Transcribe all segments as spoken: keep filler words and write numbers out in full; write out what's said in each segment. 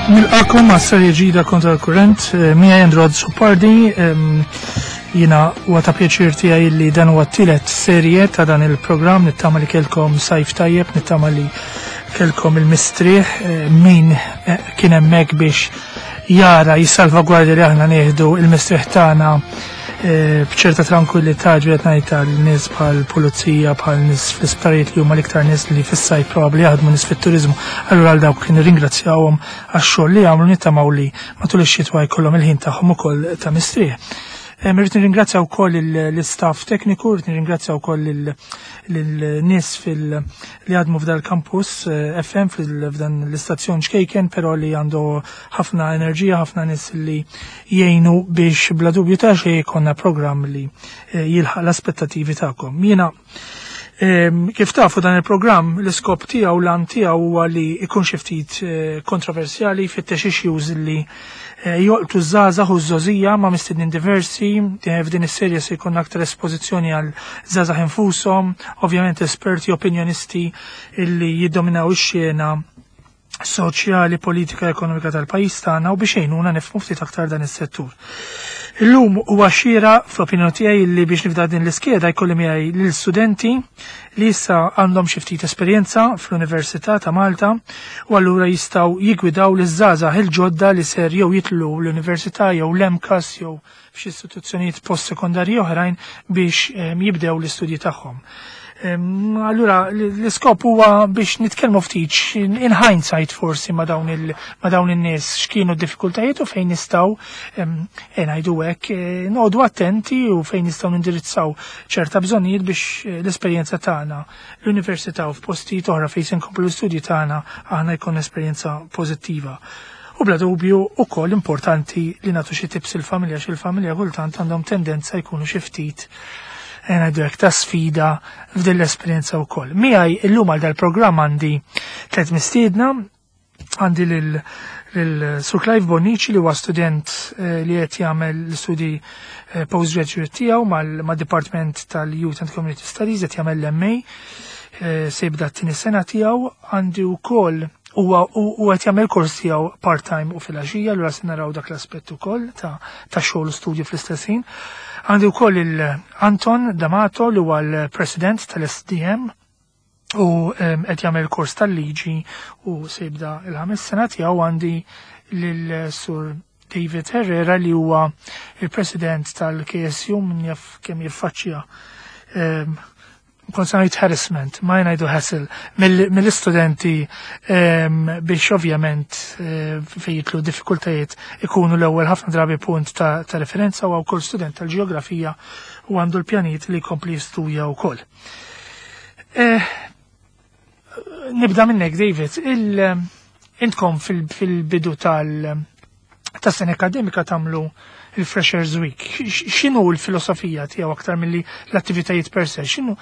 Nilqagħkom għas serje ġdida Kontra l-Kurrent, eh, miegħi Andrew Azzopardi, jiena huwa ta' pjaċir tiegħi li dan huwa t-tielet serje ta' dan il-programm, nittama li kelkom sajf tajjeb, nittama li kelkom il-mistrieħ, eh, min eh, kien hemmhekk biex jara jissalvagwardja li aħna nieħdu il-mistrieħ tagħna eh, b'ċerta tranquillità, ġiet ngħid għal nies bħal pulizija, bħal nies fl-isptarijiet li huma l-iktar nies li fis-sajf probabbli jaħdmu, nies fit-turiżmu. Allura għal dawk nirringrazzjawhom għax-xogħol li għamlu, nittamaw li matul ix-xitwa jkollhom il-ħin tagħhom ukoll ta' mistrieħ. Irrid nirringrazzja wkoll l-istaff tekniku, irrid nirringrazzja wkoll lin-nies fil li jaħdmu f'dal campus eh, F M, f'dan l-istazzjon ċkejken, però li għandu ħafna enerġija, ħafna nies li jgħinu biex bla dubju ta' xejn jkollna programm li eh, jilħaq l-aspettativi tagħkom. Jiena, kif tafu, dan il-programm l-iskop tiegħu, l-għan tiegħu huwa li ikun xi ftit eh, kontroversjali, jfittex issues li eh, jolqtu żgħażagħ u żgħożija ma' mistednin diversi. eh, F'din is-serje se jkun aktar espożizzjoni għal żgħażagħ infushom, ovvjament esperti, opinjonisti illi jiddominaw ix-xena soċjali, politika, ekonomika tal-pajjiż tagħna u biex jgħinuna nifhmu ftit aktar dan is-settur. Illum huwa xieraq fl-opinjoni tiegħi li biex nibda din l-iskeda jkolli miegħi lill-studenti li issa għandhom xi ftit esperjenza fl-Università ta' Malta u allura jistgħu jigwidaw liż-żgħażagħ il-ġodda li ser jew jitilgħu l-università jew l-M CAST jew f'xi istituzzjonijiet post-sekondarji oħrajn biex jibdew l-istudji tagħhom. Allura l-iskop huwa biex nitkellmu ftit in hindsight forsi ma' dawn il ma' dawn in-nies, x'kienu d-diffikultajiet u fejn nistgħu, ngħidu hekk, eh, noqogħdu attenti u fejn nistgħu nindirizzaw ċerta bżonnijiet biex eh, l-esperjenza tagħna l-università u f'postijiet oħra fejn se nkomplu l-istudji tagħna aħna jkun esperjenza pożittiva. U bla dubju ukoll importanti li nagħtu xi tips il-familja, xi il-familja kultant għandhom tendenza jkunu xi ftit, ngħidu hekk, ta' sfida f'din l-esperjenza wkoll. Miegħi illum għal dal-programm għandi tliet mistiedna, għandi lil lil Sur Clive Bonnici li huwa student eh, li qed jagħmel l-istudji eh, postgraduate tiegħu mal-Dipartiment tal-Youth and Community Studies, qed jagħmel l-M A, eh, se jibda t-tieni sena tiegħu. Għandi wkoll huwa u qed jagħmel kors tiegħu part-time u filgħaxija, allura se naraw dak l-aspett ukoll ta' ta' xogħol u studju fl-istess ħin. Għandi wkoll il-Anton D'Amato li huwa l-President tal-S D M u qed jagħmel kors tal-liġi u se jibda il-ħames sena tiegħu. Għandi lil Sur David Herrera li huwa il-President tal-K S U, min jaf kemm jiffaċċja, kont se ngħid harassment, ma ngħidu hassle, mill-istudenti biex ovvjament eh, fejn jidħlu diffikultajiet ikunu l-ewwel ħafna drabi punt ta', ta referenza, u wkoll student tal-ġeografija u għandu l-pjanijiet li jkompli jistudja wkoll. Eh, nibda minnek, David, il, intkom fil-bidu tal ta' sena akademika tagħmlu il-Freshers Week. X'inhu l-filosofija tiegħu aktar milli l-attivitajiet per se? X'inhu,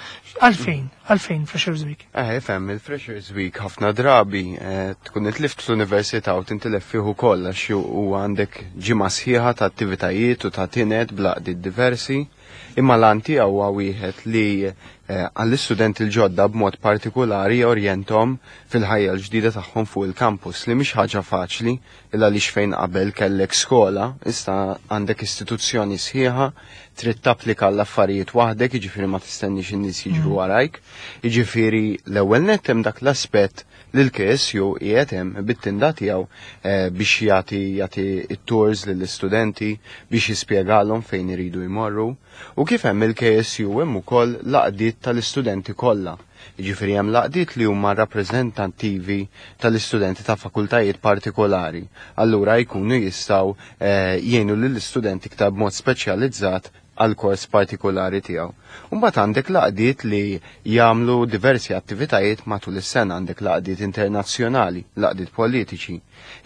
għalfejn, għalfejn Freshers Week? Eh, fem, il-Freshers Week ħafna drabi eh, tkun itlift fl-università u tintilef fih ukoll għax u għandek ġimgħa sħiħa ta' attivitajiet u ta' tined b'laqdiet diversi. Imma l-għan tiegħu huwa wieħed li eh, għall-istudenti l-ġodda b'mod partikolari jorjenthom fil-ħajja l-ġdida tagħhom fuq il-campus, li mhix ħaġa faċli illa għaliex fejn qabel kellek skola, issa għandek istituzzjoni sħiħa, trid tapplika l-affarijiet waħdek, jiġifieri ma tistenniex in-nies jiġru mm. warajk. Jiġifieri l-ewwel nett hemm dak l-aspett li l-K S U qiegħed hemm bit-tinda tiegħu eh, biex jagħti jagħti it-tours lill-istudenti biex jispjegalhom fejn iridu jmorru. U kif hemm il-K S U hemm ukoll l-għaqdiet tal-istudenti kollha. Jiġifieri hemm l-għaqdiet li huma rappreżentattivi tal-istudenti ta' fakultajiet partikolari. Allura jkunu jistgħu eh, jgħinu lill-istudenti iktar b'mod speċjalizzat għal kors partikolari tiegħu. Mbagħad għandek l-għaqdiet li jagħmlu diversi attivitajiet matul is-sena, għandek l-għaqdiet internazzjonali, l-għaqdiet politiċi.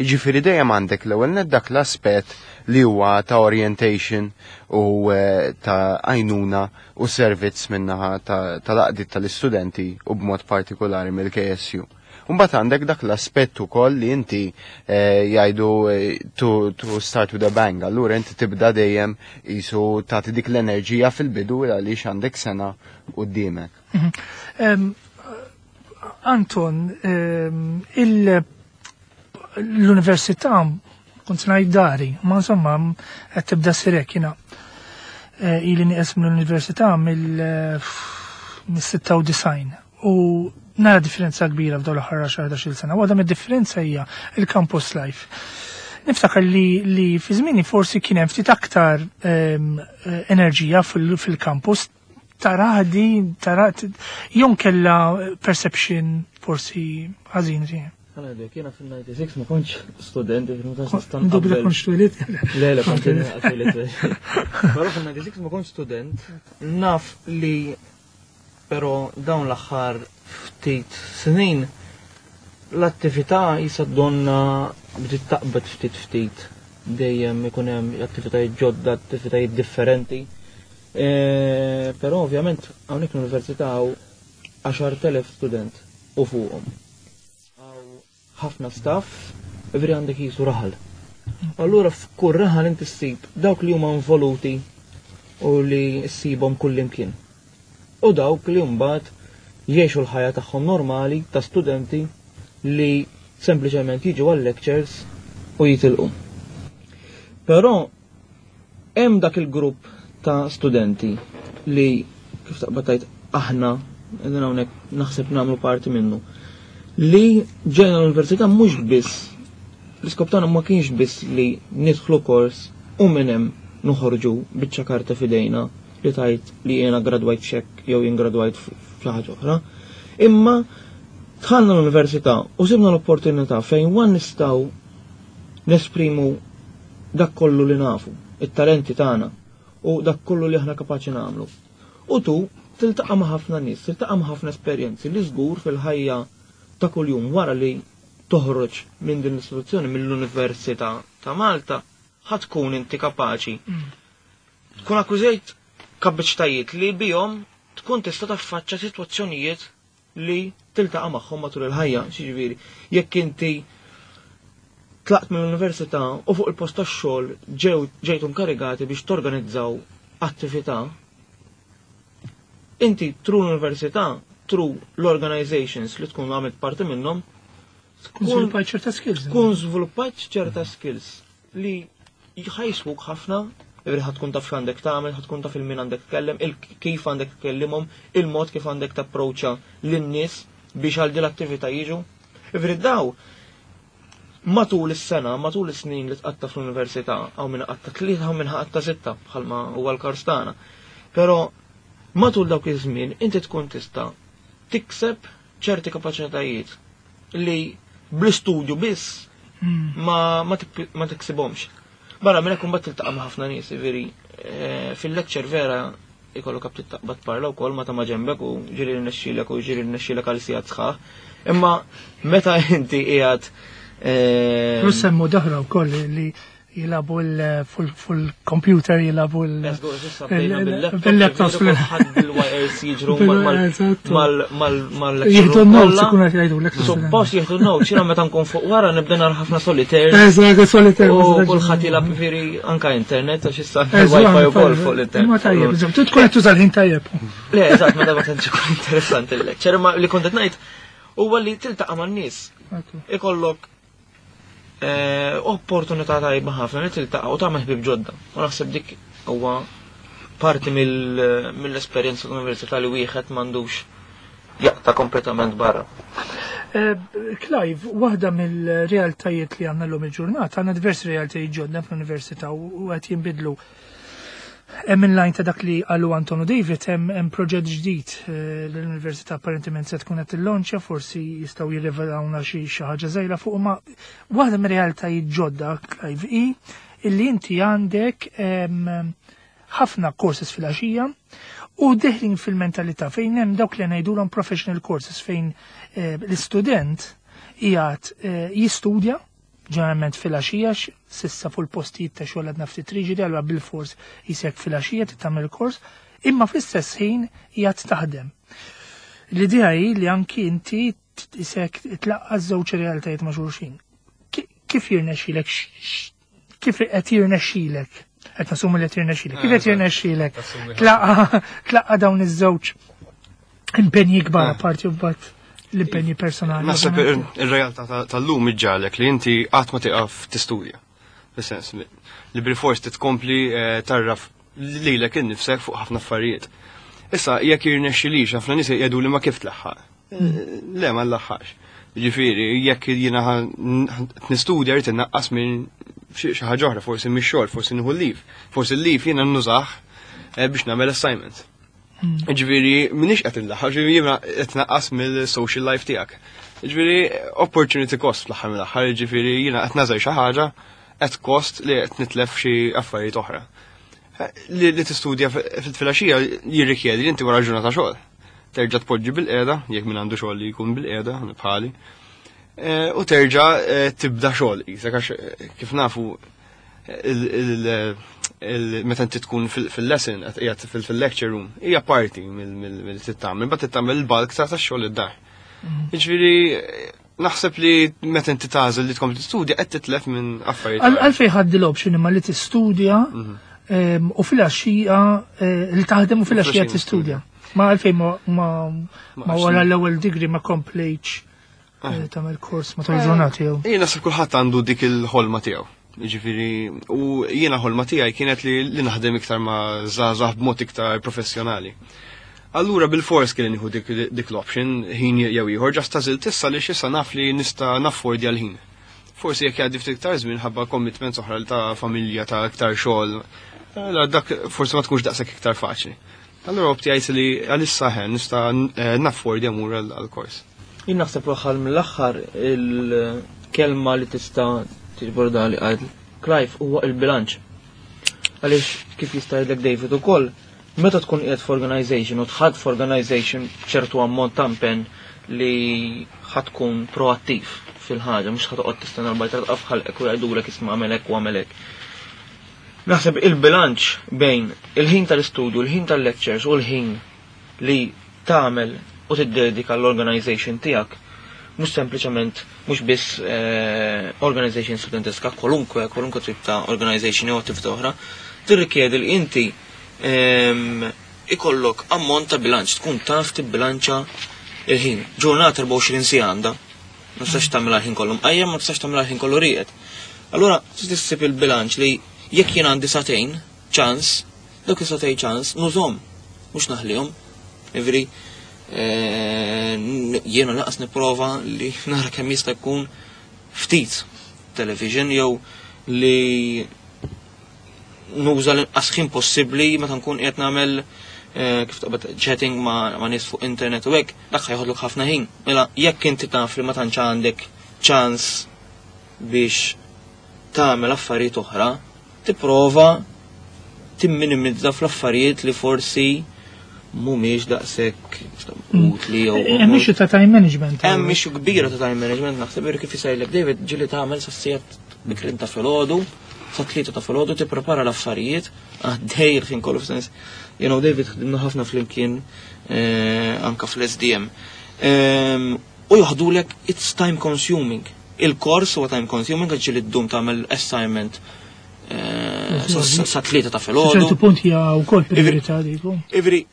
Jiġifieri dejjem għandek l-ewwel nett dak l-aspett li huwa ta' orientation u eh, ta' għajnuna u servizz min-naħa tal-għaqdiet tal-istudenti u b'mod partikolari mill-K S U. Mbagħad għandek dak l-aspett ukoll li inti eh, jgħidu eh, to, to start with a bang, allura inti tibda dejjem jisu tagħti dik l-enerġija fil-bidu għaliex għandek sena quddiemek. Mhm. Anton, il L-università kont ngħid dari, ma insomma qed tibda sirek jiena eh, ili nieqes mill-università mill-sitta u disgħin u nara differenza kbira f'dawn l-aħħar għaxar sena. Waħda mid-differenza hija il-campus life. Niftakar li, li fi żmieni forsi kien hemm ftit aktar um, enerġija fil-campus, tara di, tara jew kella perception forsi ħażin tiegħi. Għana jiena fil-disgħa u disgħin ma kontx student, ma tantx nista' Dubbi nqabbel. Kontx twelidt. Le, le, kont twelidt. Però fil-disgħa u disgħin ma kontx student, naf li però dawn l-aħħar ftit snin l-attività jisa donna bdiet taqbad ftit ftit, dejjem ikun hemm attivitajiet ġodda, attivitajiet differenti. E, però ovvjament hawnhekk l-università hawn għaxart elef student u fuqhom. Hawn ħafna staff, veri għandek jisu raħal. Allura f'kull raħal inti ssib dawk li huma involuti u li ssibhom kull imkien. U dawk li mbagħad jgħixu l-ħajja tagħhom normali ta' studenti li sempliċement jiġu għal lectures u jitilqu. Però hemm dak il-grupp ta' studenti li kif taqbad tgħid aħna qegħdin hawnhekk, naħseb nagħmlu parti minnu, li ġejna l-università mhux biss l-iskop tagħna ma kienx biss li nidħlu kors u minn hemm noħorġu biċċa karta f'idejna li tgħid li jiena gradwajt xek jew jien gradwajt f'xi ħaġa oħra. Imma dħalna l-università u sibna l-opportunità fejn wan nistgħu nesprimu dak kollu li nafu, it-talenti tagħna u dak kollu li aħna kapaċi nagħmlu. U tu tiltaqa' ma' ħafna nies, tiltaqa' ma' ħafna esperjenzi li żgur fil-ħajja ta' kuljum wara li toħroġ minn din l-istituzzjoni, mill-Università ta' Malta, ħa tkun inti kapaċi tkun akkwizejt kapaċitajiet li bihom tkun tista' taffaċċa sitwazzjonijiet li tiltaqa' magħhom matul il-ħajja, xiġifieri, jekk inti tlaqt mill-università u fuq il-post tax-xogħol ġew ġejtu inkarigati biex torganizzaw attività, inti through l-università, through l-organizations li tkun għamilt parti minnhom, Tkun żviluppajt ċerta skills. tkun żviluppat ċerta skills li ħajswuk ħafna, ġifieri ħa tkun taf x'għandek tagħmel, ħa tkun taf il-min għandek tkellem, il kif għandek tkellimhom, il-mod kif għandek tapproċċa lin-nies biex għal din l-attività jiġu. Ġifieri daw matul is-sena, matul is-snin li tqatta fl-università, hawn min qatta tlieta, hawn min qatta sitta, bħalma huwa l-kors tagħna. Però matul dawk iż-żmien inti tkun tista' tikseb ċerti kapaċitajiet li bl-istudju biss Mm. ma, ma, tik- ma tiksibhomx. Barra minn hekk imbagħad tiltaqa' ma' ħafna nies, veri eh, fil-lecture vera ikollok għab taqbad parla wkoll ma ta' ma ġembek u ġiri rnexxilek u ġiri rnexxilek għal sigħat sħaħ. Imma meta inti qiegħed eh, Plus semmu daħra wkoll li jilagħbu fil-computer, jilagħbu l- bil-laptops. Bil-laptops bil-wires jiġru Eżatt. mal-mal Jieħdu n-notes, ikunu qed jgħidulek. Suppost jieħdu notes, jiena meta nkun fuq wara nibda nara ħafna solitaire. Eżatt, solitaire. U kulħadd jilgħab, ġifieri anka internet għax issa Eżatt, wifi wkoll fuq l-internet. Ma tajjeb, eżatt, tu tkun qed tuża l-ħin tajjeb. Le, eżatt, ma ma tantx ikun interessanti il-lecture, ma li kont qed ngħid huwa li tiltaqa' man-nies. Ikollok eh, opportunità tajba ħafna li tiltaqa' u tagħmel ħbieb ġodda. U naħseb dik huwa parti mill- mill-esperjenza l-università li wieħed m'għandux jaqta' kompletament barra. Eh, Clive, waħda mill-realtajiet li għandna l-lum il-ġurnata, għandna diversi realtajiet ġodda fl-università u u qed jinbidlu. Hemm in line ta' dak li qalu Anton u David, hemm hemm proġett ġdid eh, l-università apparentement se tkun qed tillonċja, forsi jistgħu jirrivelawna xi xi ħaġa żgħira fuq, ma waħda mir-realtajiet ġodda, Clive, hi illi inti għandek em, ħafna courses fil-għaxija u deħlin fil-mentalità fejn hemm dawk li ngħidulhom professional courses, fejn eh, l-istudent qiegħed eh, jistudja ġeneralment fil-għaxija, s'issa fuq il-postijiet ta' xogħol għadna ftit riġidi, allura bil-fors jisek fil-għaxija tagħmel kors, imma fl-istess ħin qiegħed taħdem. L-idea hi li anki inti isek tlaqqa żewġ realtajiet ma' xulxin. Ki- Kif jirnexxilek? Kif qed jirnexxilek? Qed nassumu li qed jirnexxilek. Kif qed jirnexxilek? Tlaqqa tlaqqa dawn iż-żewġ impenji kbar apparti u mbagħad. l-impenji personali. Naħseb ir-realtà tal-lum iġġagħlek li inti qatt ma tieqaf tistudja. Fis-sens li bil-fors titkompli eh, tarraf lilek innifsek fuq ħafna affarijiet. Issa jekk jirnexxilix, ħafna nies jgħidu li ma kif tlaħħaq. Eh, Le, ma nlaħħax. Ġifieri, jekk jiena nistudja rrid innaqqas minn xi xi ħaġa oħra, forsi mix-xogħol, forsi nieħu leave. Forsi l-leave jiena nużah eh, biex nagħmel assignments. Ġifieri, minix qed inlaħħaq, ġifieri jiena qed naqqas mill-social life tiegħek. Ġifieri, opportunity cost fl-aħħar mill-aħħar, ġifieri jiena qed nażel xi ħaġa at cost li qed nitlef xi affarijiet oħra. Li, li tistudja fil-filgħaxija jirrikjedi li inti wara ġurnata xogħol. Terġa' tpoġġi bil-qiegħda, jekk min għandu xogħol li jkun bil-qiegħda, bħali. Eh, U terġa' eh, tibda xogħol qisek għax eh, kif nafu il- il- il- meta inti tkun fil-lesson, qed qiegħed fil-lecture room, hija parti mill-tittamel, but tittamel il-bulk ta' tax-xogħol id-dar. Jiġifieri naħseb li meta inti tagħżel li tkompli tistudja qed titlef minn affarijiet. Għal għalfejn ħadd l-option imma li tistudja em, u fil-għaxija eh, li taħdem u fil-għaxija Fil-għaxija tistudja. Ma għalfejn ma ma ma wara l-ewwel degree ma komplejtx eh, tagħmel kors matul il-ġurnata jew. Jien naħseb kulħadd għandu dik il-ħolma tiegħu. Jiġifieri, u jiena ħolma tiegħi kienet li, li naħdem iktar ma' żgħażagħ b'mod iktar professjonali. Allura bil-fors kien nieħu dik, dik l-option ħin jew ieħor just għażilt issa li issa naf li nista' naffordja l-ħin. Forsi jekk jgħaddi ftit iktar żmien ħabba commitments oħra ta' familja, ta' iktar xogħol, eh, dak forsi ma tkunx daqshekk iktar faċli. Allura optjajt li għalissa ħen nista' eh, naffordja mur għal-kors. Jien naħseb l-aħħar mill-aħħar il-kelma li tista' tiġbor li qal Clive huwa il-bilanċ. Għaliex kif jista' jgħidlek David ukoll, meta tkun qiegħed f'organization u tħadd f'organization ċertu ammont ta' impenn li ħa tkun proattiv fil-ħaġa, mhux ħa toqgħod tistenna l-bajtra tqaf ħalqek u jgħidulek isma' għamel hekk u għamel hekk. Naħseb il-bilanċ bejn il-ħin tal-istudju, il-ħin tal-lectures u l-ħin li tagħmel u tiddedika l-organization tiegħek mhux sempliċement mhux biss eh, organization studenteska, kwalunkwe, kwalunkwe tip ta' organization jew attività oħra, tirrikjedi li inti ehm, ikollok ammont ta' bilanċ, tkun taf tibbilanċa il-ħin. Ġurnata erbgħa u għoxrin siegħa għandha, ma tistax tagħmel ħin kollu mqajjem, ma tistax tagħmel ħin kollu rieqed. Allura trid issib il-bilanċ li jekk jien għandi sagħtejn ċans, dawk is-sagħtejn ċans nużhom, mhux naħlihom. Ivri, eh, jiena laqas nipprova li nara kemm jista' jkun ftit television jew li nuża l-inqas ħin possibbli meta nkun qiegħed nagħmel eh, kif taqbad chatting ma' ma' nies fuq internet u hekk, dak ħajħodlok ħafna ħin. Mela jekk inti taf li ma tantx għandek ċans biex tagħmel affarijiet oħra, tipprova timminimizza fl-affarijiet li forsi mhumiex daqshekk utli jew Hemm issue ta' time management. Hemm issue kbira ta' time management, naħseb ir kif jisajlek David, ġieli tagħmel sa sigħat bikrin ta' filgħodu, sa tlieta ta' filgħodu tipprepara l-affarijiet, għaddej il-ħin kollu f'sens. You know, David ħdimna ħafna flimkien eh, anka fl-S D M. Ehm, U joħdulek, it's time consuming. Il-kors huwa time consuming għax ġieli ddum tagħmel assignment eh, sa- sa sa tlieta ta' Sa filgħodu. ċertu punt hija wkoll priorità diku. Ivri,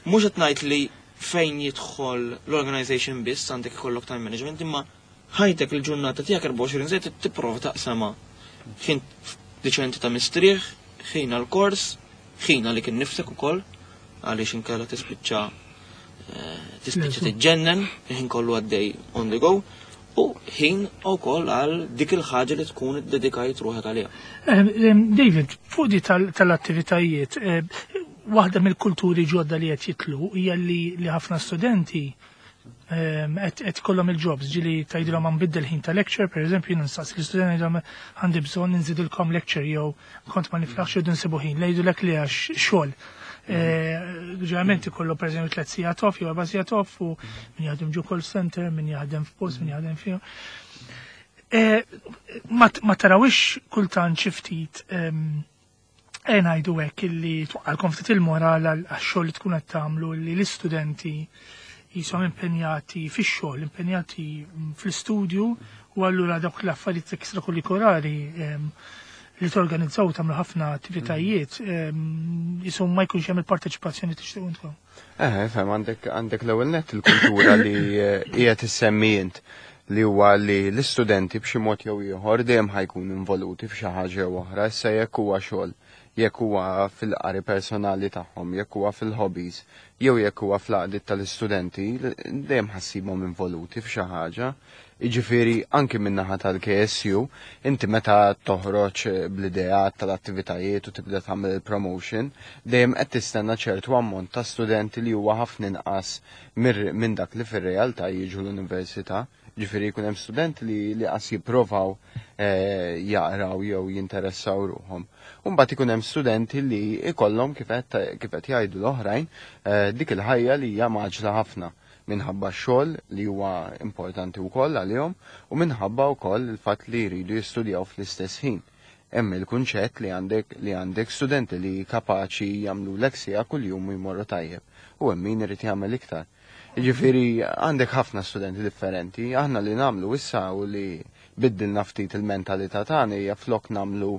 mhux qed ngħid li fejn jidħol l-organization biss għandek ikollok time management, imma ħajtek il-ġurnata tiegħek erbgħa u għoxrin żejt tipprova taqsama ħin diċenti ta' mistrieħ, ħin għal-kors, ħin għalik innifsek ukoll, għaliex inkella tispiċċa eh, tispiċċa tiġġennen, ħin kollu għaddej on the go, u ħin ukoll għal dik il-ħaġa li tkun iddedikajt ruħek għaliha. Eh, eh, David, fuq di tal- tal-attivitajiet, eh, waħda mill-kulturi ġodda li qed jitlu hija li li ħafna studenti ehm, qed qed ikollhom il-jobs, ġieli tgħidilhom għan biddel ħin ta' lecture, per eżempju, jien nistaqsi l-istudenti ngħidilhom għandi bżonn nżidilkom lecture jew kont ma niflaħx jew nsibu ħin, jgħidulek li għax xogħol. Eh, Ġeneralment ikollu per eżempju tliet sigħat off jew erba' sigħat off u min jaħdem ġo call center, min jaħdem f'post, min jaħdem fih. Eh, Ma ma tarawix kultant xi ftit ehm, e ngħidu hekk illi twaqqalkom ftit il-moral għal għax-xogħol li tkun qed tagħmlu li l-istudenti jisom impenjati fix-xogħol, impenjati fl-istudju u allura dawk l-affarijiet ekstrakurrikulari ehm, li torganizzaw, tagħmlu ħafna attivitajiet, jisom ma jkunx hemm il-parteċipazzjoni tixtiequ intkom. Eh, fem, għandek għandek l-ewwel nett il-kultura li eh, qiegħed issemmi int, li huwa li l-istudenti b'xi mod jew ieħor dejjem ħa jkunu involuti f'xi ħaġa jew oħra, issa jekk huwa xogħol, jekk huwa fil-qari personali tagħhom, jekk huwa fil-hobbies, jew jekk huwa fl-għaqdiet tal-istudenti, dejjem ħa ssibhom involuti f'xi ħaġa. Jiġifieri anki min-naħa tal-K S U, inti meta toħroġ bl-ideat tal-attivitajiet u tibda tagħmel il-promotion, dejjem qed tistenna ċertu ammont ta' studenti li huwa ħafna inqas minn dak li fir-realtà jiġu l-università. Ġifieri jkun hemm studenti li li qas jipprovaw eh, jaqraw jew jinteressaw ruħhom. U mbagħad ikun hemm studenti li ikollhom, kif qed jgħidu l-oħrajn, eh, dik il-ħajja li hija mgħaġġla ħafna minħabba xogħol li huwa importanti wkoll għalihom u minħabba wkoll il-fatt li jridu jistudjaw fl-istess ħin. Hemm il-kunċett li għandek li għandek studenti li kapaċi jagħmlu leksija kuljum u jmorru tajjeb u hemm min irid jagħmel iktar. Jiġifieri għandek ħafna studenti differenti. Aħna li nagħmlu issa u li biddilna ftit il-mentalità tagħna hija, flok nagħmlu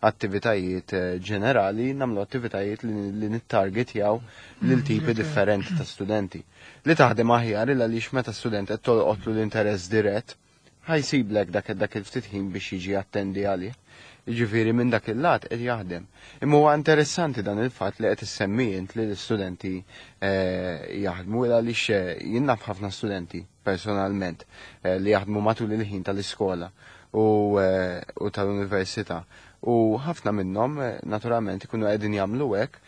attivitajiet eh, ġenerali, nagħmlu attivitajiet li, li nittargetjaw lil tipi differenti ta' studenti. Li taħdem aħjar il għaliex meta student qed tolqotlu l-interess dirett, ħa jsiblek dak dak il-ftit ħin biex jiġi attendi għalih. Jiġifieri minn dak il-lat qed jaħdem. Imma huwa interessanti dan il-fatt li qed issemmi int li l-istudenti eh, jaħdmu, għaliex eh, jien naf ħafna studenti personalment eh, li jaħdmu matul il-ħin tal-iskola u, u tal-università. U ħafna minnhom naturalment ikunu qegħdin jagħmlu hekk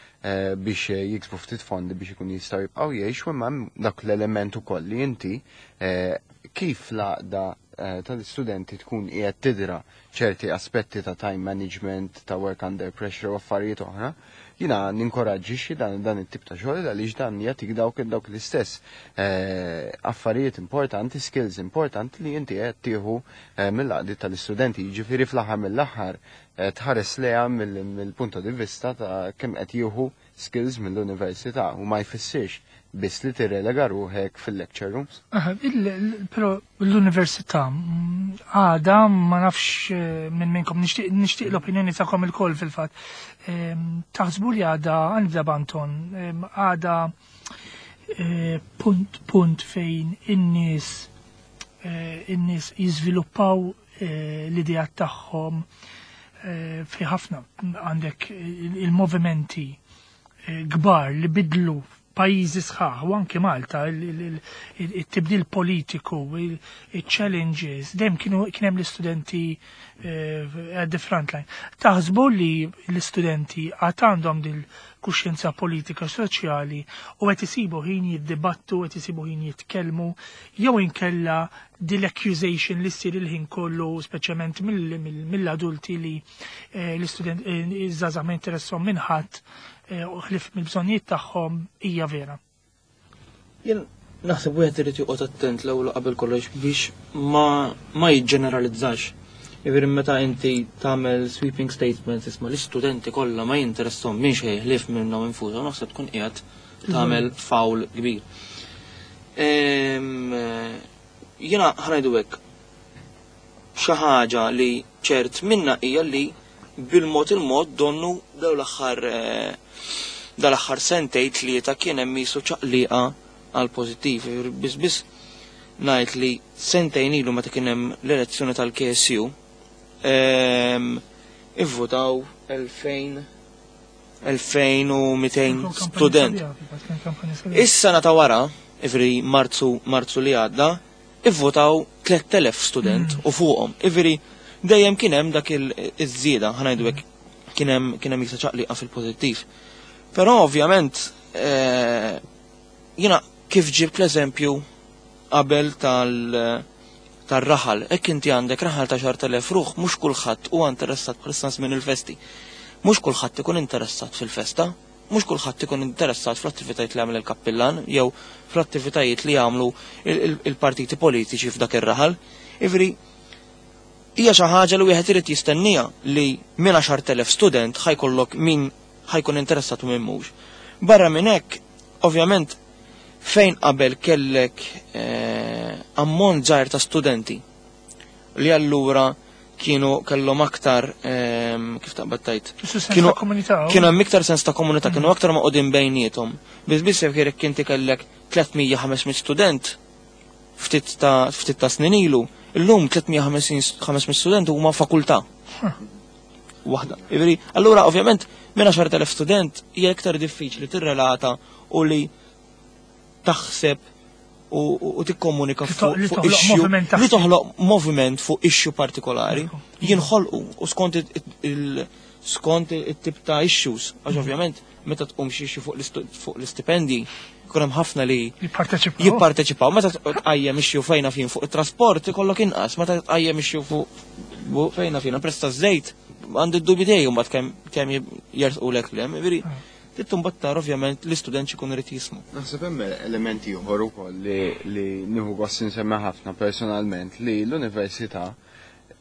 biex jiksbu ftit fondi biex ikunu jistgħu jibqgħu jgħixu, imma dak l-element ukoll li inti kif l-għaqda tal-istudenti tkun qiegħed tidra ċerti aspetti ta' time management, ta' work under pressure u affarijiet oħra, jiena ninkoraġġixxi dan dan it-tip ta' xogħol għaliex dan jagħtik dawk dawk l-istess eh, affarijiet importanti, skills importanti li inti qed tieħu eh, mill-għaqdiet tal-istudenti. Jiġifieri fl-aħħar mill-aħħar eh, tħares leha mill-punto di vista ta' kemm qed jieħu skills mill-università u ma jfissirx biss li tirrelega ruħek fil-lecture rooms. Però l-università mm, għada ma nafx eh, minn minnkom, nixtieq l-opinjoni tagħkom ilkoll fil-fatt. Taħsbu li għada, għandha b'Anton, għada eh, punt punt fejn in-nies eh, in-nies jiżviluppaw l-idea tagħhom fi ħafna għandek il-movimenti kbar li bidlu pajjiżi sħaħ u anke Malta, il-tibdil politiku, il-challenges, dejjem kienu kien hemm l-istudenti eh, at the front line. Taħsbu li l-istudenti għad għandhom dil kuxjenza politika soċjali u qed isibu ħin jiddibattu, qed isibu ħin jitkellmu, jew inkella dil-accusation li ssir il-ħin kollu, speċjalment mill-adulti, li eh, l-istudent eh, iż-żgħażagħ ma jinteressahom minn ħadd u ħlief mill-bżonnijiet tagħhom, hija vera? Jien naħseb wieħed irid joqgħod attent l-ewwel qabel kollox biex ma ma jiġġeneralizzax. Jiġifieri meta inti tagħmel sweeping statements, isma' l-istudenti kollha ma jinteressahom minn xejn ħlief minnhom infushom, naħseb tkun qiegħed tagħmel foul kbir. Jiena ħa ngħidu hekk, xi ħaġa li ċert minna hija li bil-mod il-mod donnu daw l-aħħar eh, dal-aħħar sentejn tlieta kien hemm qisu ċaqliqa għal pożittiv. Biss biss ngħid li sentejn ilu, meta kien hemm l-elezzjoni tal-K S U, ehm, ivvotaw elfejn elfejn u mitejn student. Issa nata wara, ivri Marzu Marzu li għadda, ivvotaw tliet elef student mm. u fuqhom. Ivri dejjem kien hemm dak iż-żieda, ħa ngħidu hekk, kien hemm kien hemm ċaqliqa fil-pożittiv. Però ovvjament eh, jiena kif ġibt l-eżempju qabel tal tar-raħal, hekk inti għandek raħal ta' għaxart elef ruħ, mhux kulħadd huwa interessat bħalissa minn il-festi. Mhux kulħadd ikun interessat fil-festa, mhux kulħadd ikun interessat fl-attivitajiet li jagħmel il-kappillan jew fl-attivitajiet li jagħmlu il-partiti politiċi f'dak ir-raħal. Ivri, hija xi ħaġa li wieħed irid jistennija li minn għaxart elef student ħa jkollok min ħa jkun interessat u min mhux. Barra minn hekk, ovvjament, fejn qabel kellek eh, ammont żgħir ta' studenti li allura kienu kellhom aktar eh, kif taqbad tajt. Kienu kienu hemm iktar sens ta' komunità, kienu aktar maqgħudin bejniethom. Biss biss jekk inti kellek tliet mija ħames mitt student ftit ta' ftit ta' snin ilu, illum tliet mija ħames mitt student huma fakultà. Waħda. Jiġifieri, allura ovvjament minn għaxar elef student hija iktar diffiċli tirrelata u li taħseb u tikkomunika fuq issue li toħloq moviment fuq issue partikolari. Jinħolqu u skont il skont it-tip ta' issues, għax ovvjament meta tqum xi issue fuq l-istipendi jkun hemm ħafna li jipparteċipaw. Meta tqajjem issue fejna fin fuq it-trasport ikollok inqas, meta tqajjem issue fuq fejna fin prezz taż-żejt għandi d-dubi tiegħi mbagħad kemm kemm jersqulek lem, jiġifieri tittum battar ovvjament l-istudent xikun irid jismu. Naħseb hemm elementi ieħor ukoll li li nieħu gost insemmi ħafna personalment li l-università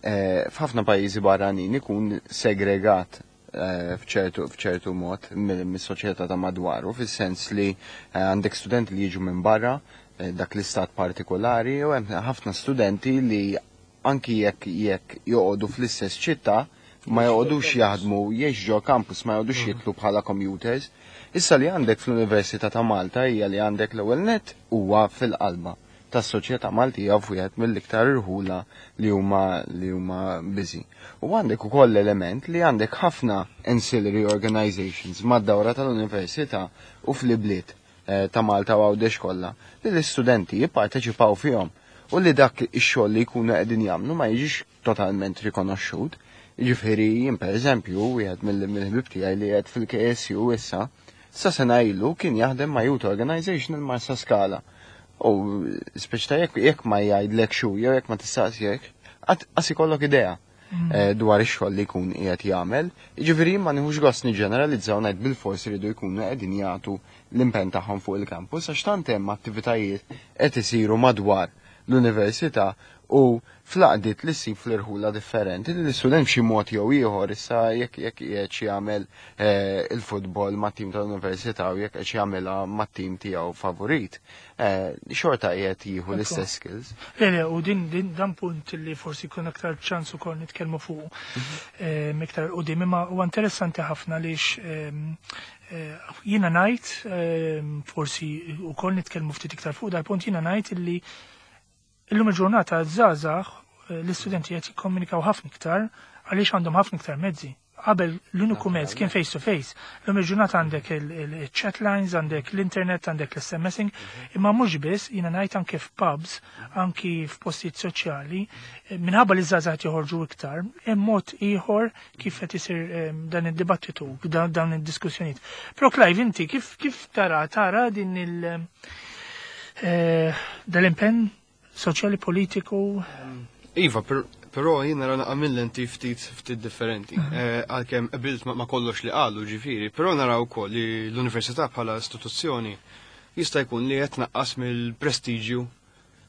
f'ħafna pajjiżi barranin ikun segregat f'ċertu f'ċertu mod mis-soċjetà ta' madwaru, fis-sens li għandek studenti li jiġu minn barra dak l-istat partikolari u hemm ħafna studenti li anki jekk jekk joqogħdu fl-istess ċittà ma joqogħdux jaħdmu jgħix ġo campus, ma joqogħdux jitlu bħala commuters. Issa li għandek fl-Università ta' Malta hija li għandek l-ewwel net huwa fil-qalba tas-soċjetà Maltija f'wieħed mill-iktar irħula li huma li huma busy. U għandek ukoll element li għandek ħafna ancillary organizations mad-dawra tal-università u fl-ibliet ta' Malta u Għawdex kollha li l-istudenti jipparteċipaw fihom u li dak ix-xogħol li jkunu qegħdin jagħmlu ma jiġix totalment rikonoxxut. Jiġifieri jien pereżempju wieħed mill-ħbieb tiegħi li qed fil-K S U issa, sa sena ilu kien jaħdem ma' Youth Organization il-Marsa Skala. U speċi ta' jekk jekk ma jgħidlek xu jew jekk ma tistaqsijek, qas ikollok idea dwar ix-xogħol li jkun qiegħed jagħmel. Jiġifieri ma nieħux gost niġġeneralizzaw ngħid bilfors iridu jkunu qegħdin jagħtu l-impenn tagħhom fuq il-campus għax tant hemm attivitajiet qed isiru madwar l-università u fl-għaqdiet li ssib fl-irħula differenti li l-istudent b'xi mod jew ieħor issa jekk jekk qiegħed xi jagħmel il-futbol mat-tim tal-università u jekk qed jagħmilha mat-tim tiegħu favorit, xorta qiegħed jieħu l-istess skills. Le le, u din din dan punt li forsi jkun aktar ċans ukoll nitkellmu fuq iktar qudiem, imma huwa interessanti ħafna għaliex jiena ngħid forsi wkoll nitkellmu ftit iktar fuq dal-punt, jiena ngħid illi illum il-ġurnata żgħażagħ l-istudenti qed jikkomunikaw ħafna iktar għaliex għandhom ħafna iktar mezzi. Qabel l-uniku mezz kien face to face. Illum il-ġurnata għandek il-chat lines, għandek l-internet, għandek l-SMSing, imma mhux biss, jiena ngħid anke f'pubs, anki f'postijiet soċjali, minħabba li żgħażagħ joħorġu iktar, hemm mod ieħor kif qed isir dan id-dibattitu, dawn id-diskussjonijiet. Però Clive, inti kif kif tara tara din il dal-impenn soċjali politiku? Iva, però jien nara naqra mill-lenti ftit ftit differenti. Għalkemm qbilt ma kollox li qalu ġifieri, però nara wkoll li l-università bħala istituzzjoni jista' jkun li qed tnaqqas mill-prestiġju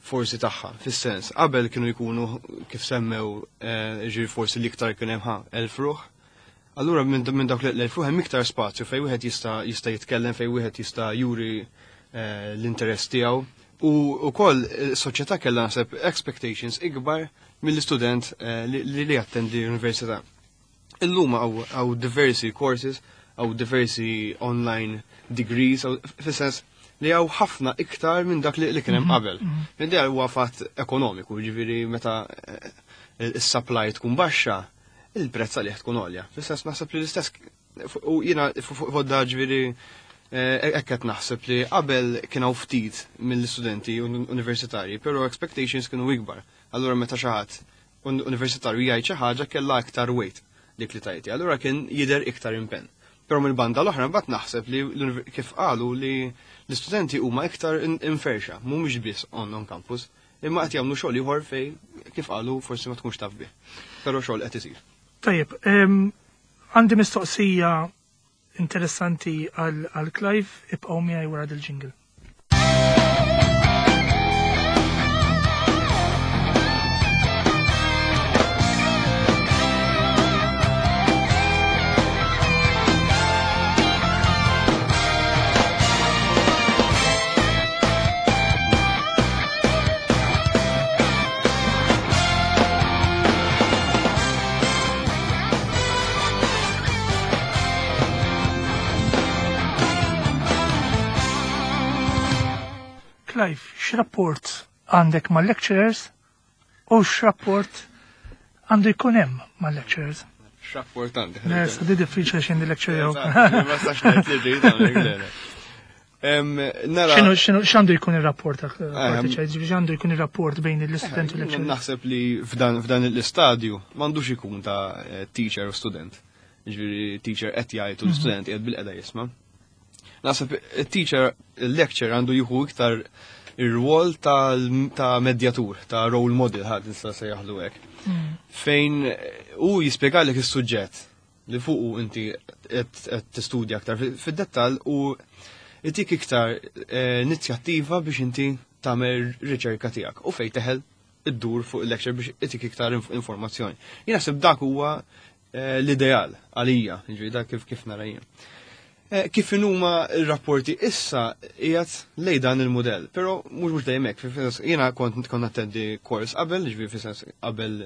forsi tagħha, fis-sens qabel kienu jkunu kif semmew ġifieri forsi l-iktar kien hemm ħa elf ruħ. Allura minn dawk l-elf ruħ hemm iktar spazju fejn wieħed jista' jista' jitkellem, fejn wieħed jista' juri l-interess tiegħu. U wkoll is-soċjetà kellha naħseb expectations ikbar mill-istudent li li jattendi l-università. Illum hawn diversi courses, hawn diversi online degrees, fis-sens li hawn ħafna iktar minn dak li kien hemm qabel. Minn dejjem huwa fatt ekonomiku, jiġifieri meta is-supply tkun baxxa, il-prezz għalih tkun għolja. Fis-sens naħseb li l-istess u jiena fuq da ġifieri hekk qed naħseb li qabel kien hawn ftit mill-istudenti universitarji, però expectations kienu ikbar. Allura meta xi ħadd universitarju jgħid xi ħaġa kellha iktar weight dik li tajti. Allura kien jidher iktar impenn. Però mill-banda l-oħra mbagħad naħseb li kif qalu li l-istudenti huma iktar inferxa, mhumiex biss on on campus, imma qed jagħmlu xogħol ieħor fejn kif qalu forsi ma tkunx taf bih. Però xogħol qed isir. Tajjeb, għandi mistoqsija interessanti għal Clive, ibqgħu miegħi wara dil-jingle. Clive, x'rapport għandek mal-lecturers u x'rapport għandu jkun hemm mal-lecturers? X'rapport għandek? Le, sa di diffiċli x'indi lecture jew. Ma stax ngħid li rrid hawnhekk, le, le. Em, Nara. X'inhu x'inhu x'għandu jkun ir-rapport Ehm. ġifieri x'għandu jkun ir-rapport bejn l-istudent u l-lecturer? Naħseb li f'dan f'dan l-istadju m'għandux ikun ta' eh, teacher u student. Ġifieri teacher qed jgħid u l-student qiegħed bil-qeda jisma'. Naħseb il-teacher, il-lecturer għandu jieħu iktar ir-rwol ta' medjatur, ta' role model ħadd nista' sejjaħlu hekk. Fejn eh, hu jispjegalek is-suġġett li fuqu inti qed qed tistudja aktar fi- fid-dettall u itik iktar eh, inizjattiva biex inti tagħmel riċerka tiegħek u fejn teħel iddur fuq il-lecture biex itik iktar inf- informazzjoni. Jien naħseb dak huwa eh, l-ideal għalija, jiġifieri dak kif kif nara jien. Eh, Kif inhuma r-rapporti issa qiegħed lej dan il-modell, però mhux mhux dejjem hekk, fil-sens jiena kont kont nattendi kors qabel, ġifieri fis-sens qabel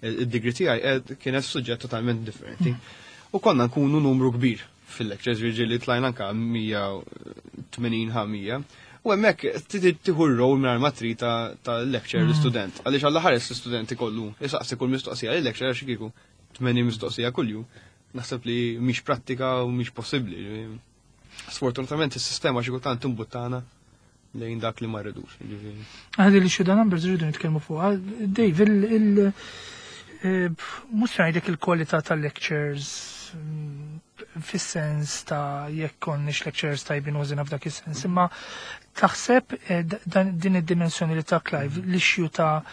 id-degree tiegħi eh, kienet suġġett totalment differenti. U konna nkunu numru kbir fil-lectures, ġifieri li tlajna anka mija u tmenin ħa mija. U hemmhekk tieħu r-role mingħajr ma trid ta' ta' lecture l-istudent. Għaliex alla ħares l-istudent ikollu jisaqsi kull mistoqsija l-lecture, għax kieku tmenin mistoqsija kuljum. Naħseb li mhix prattika u mhix possibbli. Sfortunatament is-sistema xi kultant timbuttana lejn dak li ma rridux. Ġifieri. Għadi li xi numbers rridu nitkellmu fuq. Dave, il- il- eh, mhux se ngħidlek il-kwalità tal-lectures mm, fis-sens ta' jekk konniex lectures tajbin użina f'dak is-sens, imma taħseb eh, dan- din id-dimensjoni li ta' Clive, l-issue ta'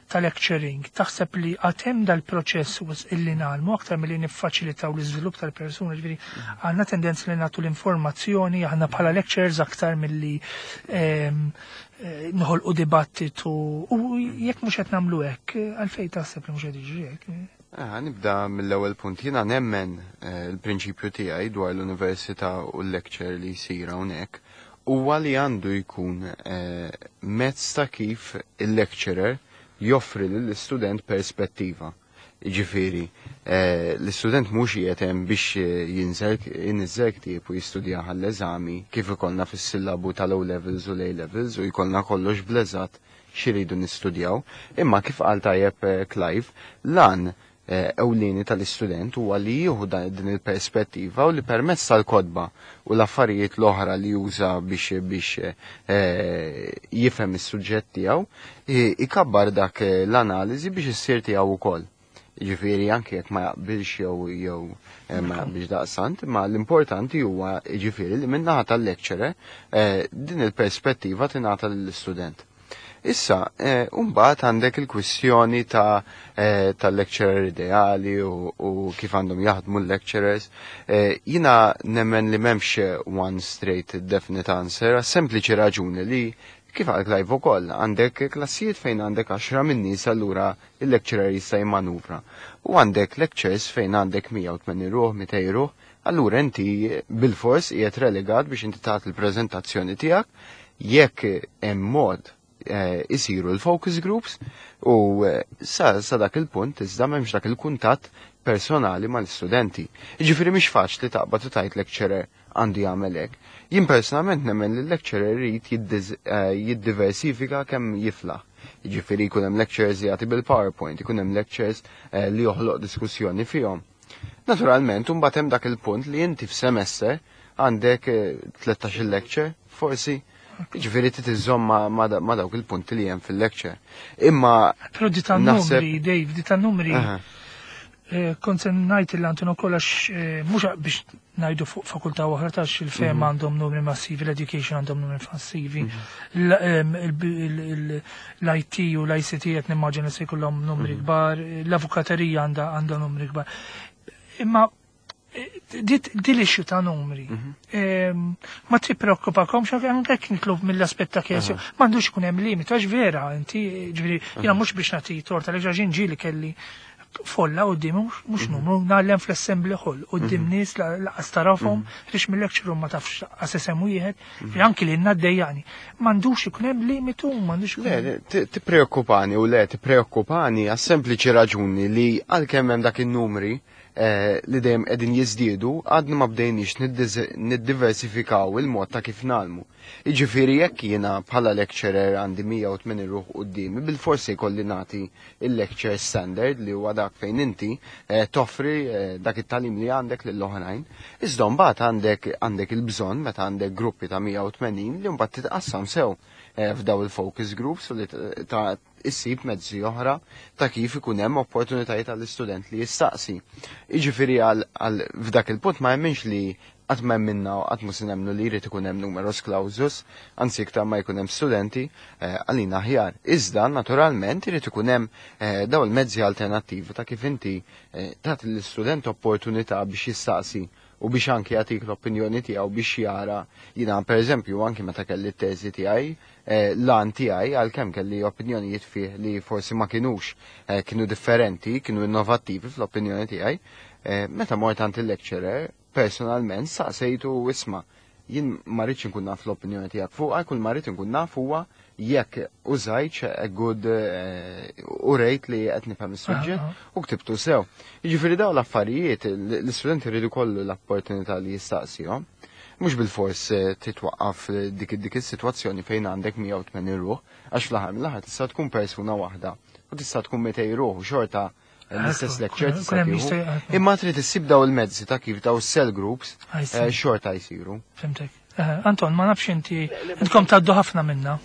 ta' lecturing, taħseb li għatem dal-proċess was illi ngħallmu aktar milli niffaċilitaw l-iżvilupp tal-persuna, ġifieri għandna tendenza li nagħtu l-informazzjoni, aħna bħala lecturers aktar milli ehm, eh, noħolqu dibattitu u jekk mhux qed nagħmlu hekk, għalfejn taħseb li mhux qed jiġri hekk? Ah, nibda mill-ewwel punt. Jiena nemmen eh, il-prinċipju tiegħi dwar l-università u l-lecture li jsir hawnhekk huwa li għandu jkun eh, mezz ta' kif il-lecturer joffri lill-istudent perspettiva. Ġifieri, eh, l-istudent mhux qiegħed hemm biex jinżel jinżel ktieb u jistudja għall-eżami kif ikollna fis-sillabu tal-O levels u l-A levels u jkollna kollox bleżat xiridu nistudjaw, imma kif qal tajjeb eh, Clive, lan eh, ewlieni tal-istudent huwa li jieħu dan- din il-perspettiva u li permezz tal-kotba u l-affarijiet l-oħra li juża biex biex eh, jifhem is-suġġett tiegħu, i- ikabbar dak eh, l-analiżi biex issir tiegħu wkoll. Ġifieri anke jekk ma jaqbilx jew jew eh, ma jaqbilx daqsant, ma l-importanti huwa ġifieri li min-naħa tal-lecturer eh, din il-perspettiva tingħata lill-istudent. Issa, eh, mbagħad għandek il-kwistjoni ta' eh, tal-lecturer ideali u, u kif għandhom jaħdmu l-lecturers. Eh, jina nemmen li m'hemmx one straight definite answer, għas sempliċi raġuni li kif għal Clive ukoll għandek klassijiet fejn għandek għaxra minn nies, allura il-lecturer jista' jimmanuvra. U għandek lectures fejn għandek mija u tmenin ruħ, mitejn ruħ, allura inti bil-fors qiegħed relegat biex inti tagħti il-preżentazzjoni tiegħek jekk hemm mod eh, isiru l-focus groups u eh, sa, sa dak il-punt iżda m'hemmx dak il-kuntatt personali mal-istudenti. Jiġifieri mhix faċli taqbad u tajt lecturer għandu jagħmel hekk. Jien personalment nemmen li l-lecturer irid jiddiz- eh, jiddiversifika kemm jiflaħ. Jiġifieri jkun hemm lectures li jagħti bil-PowerPoint, ikun hemm lectures eh, li joħloq diskussjoni fihom. Naturalment, mbagħad hemm dak il-punt li inti f'semester għandek eh, tlettax-il lecture, forsi, ġifieri trid iżżomm ma, ma, da- ma dawk il-punti li hemm fil-lecture. Imma Però di ta' Naħseb- numri, Dave, di ta' numri, Aha. eh, kont se ngħid il Anton ukoll għax eh, mhux biex ngħidu fuq fakultà oħra tax il-fema Mhm. għandhom numri massivi, l-education għandhom numri massivi, l- em, il- il- il- l-I T u l-I C T qed nimmaġina se jkollhom numri Mhm. kbar, l-avukaterija għandha għandha numri kbar. Imma eh, dit di l-issue ta' numri. Mhm. Em, Ma tippreokkupakomx anke jekk nitlu mill-aspett ta' kjesju, m'għandux ikun hemm limit, għax vera, inti ġifieri jiena mhux biex nagħti torta li ġaġin ġieli kelli folla quddiem, mhux mhux numru, ngħallem fl-assembly hall quddiem nies laqas tarafhom, rix mill-lecture room ma tafx laqas isem wieħed, fi anki li ngħaddejjani. M'għandux ikun hemm limitu, m'għandux ikun Le, hemm. le, ti- tippreokkupani u le, tippreokkupani għas sempliċi raġuni li għalkemm hemm dak in-numri, eh, li dejjem qegħdin jiżdiedu għadna ma bdejniex niddiversifikaw il-mod ta' kif ngħallmu. Jiġifieri jekk jiena bħala lecturer għandi mija u tmenin ruħ quddiemi, bil-forsi jkolli nagħti il-lecture standard li huwa dak fejn inti eh, toffri eh, dak it-tagħlim li għandek lill-oħrajn. Iżda mbagħad għandek għandek il-bżonn meta għandek gruppi ta' mija u tmenin li mbagħad titqassam sew eh, f'daw il-focus groups u li ta' issib mezzi oħra ta' kif ikun hemm opportunitajiet għall-istudent li jistaqsi. Jiġifieri għal f'dak il-punt ma jemminx li qatt ma minna u qatt mhux nemmnu li jrid ikun hemm numerus clausus, anzi iktar ma jkun hemm studenti eh, għalina aħjar. Iżda naturalment irid ikun hemm eh, daw il-mezzi alternattivi ta' kif inti eh, tagħti l-istudent opportunità biex jistaqsi u biex anki jagħtik l-opinjoni tiegħu biex jara. Jiena, pereżempju, anki meta kelli t-teżi tiegħi, l-għan tiegħi, għalkemm kelli opinjonijiet fih li forsi ma kinux kienu differenti, kienu innovattivi fl-opinjoni tiegħi, meta mort għand il-lecturer personalment saqsejtu: "Isma', jien ma rridx inkun naf l-opinjoni tiegħek fuqha, kull ma rrid inkun naf huwa jekk użajtx a good u rejt li qed nifhem is-suġġett u ktibtu sew." Jiġifieri dawn l-affarijiet l-istudenti jridu kollu l-opportunità li jistaqsihom. Mhux bil-fors titwaqqaf dik dik is-sitwazzjoni fejn għandek mija u tmenin ruħ, għax fl-aħħar mill-aħħar tista' tkun persuna waħda u tista' tkun mitejn ruħ u xorta l-istess lecture tista'. Imma trid issib daw il-mezzi ta' kif daw cell groups eh, xorta jsiru. Fhimtek. Eh, Anton, ma nafx inti, intkom tgħaddu ħafna minna.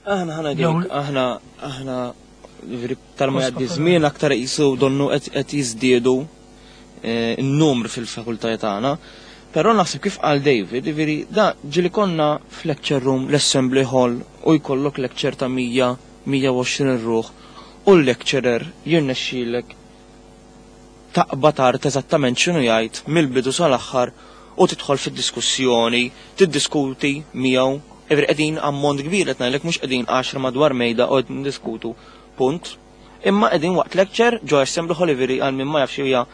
Aħna ħana aħna aħna tal-ma jgħaddi żmien aktar qisu donnu qed jiżdiedu eh, n-numru fil-fakultajiet tagħna. Però naħseb kif qal David, ġifieri da ġieli konna f'lecture room, l-assembly hall, u jkollok lecture ta' mija, mija u għoxrin ruħ u l-lecturer jirnexxilek taqbad tard eżattament x'inhu jgħid mill-bidu sal-aħħar u tidħol fid-diskussjoni, tiddiskuti miegħu. Ġifieri qegħdin ammont kbir, qed ngħidlek mhux qegħdin għaxra madwar mejda u qed ndiskutu punt. Imma qegħdin waqt lecture ġo assembly hall, ġifieri għal min ma jafx hija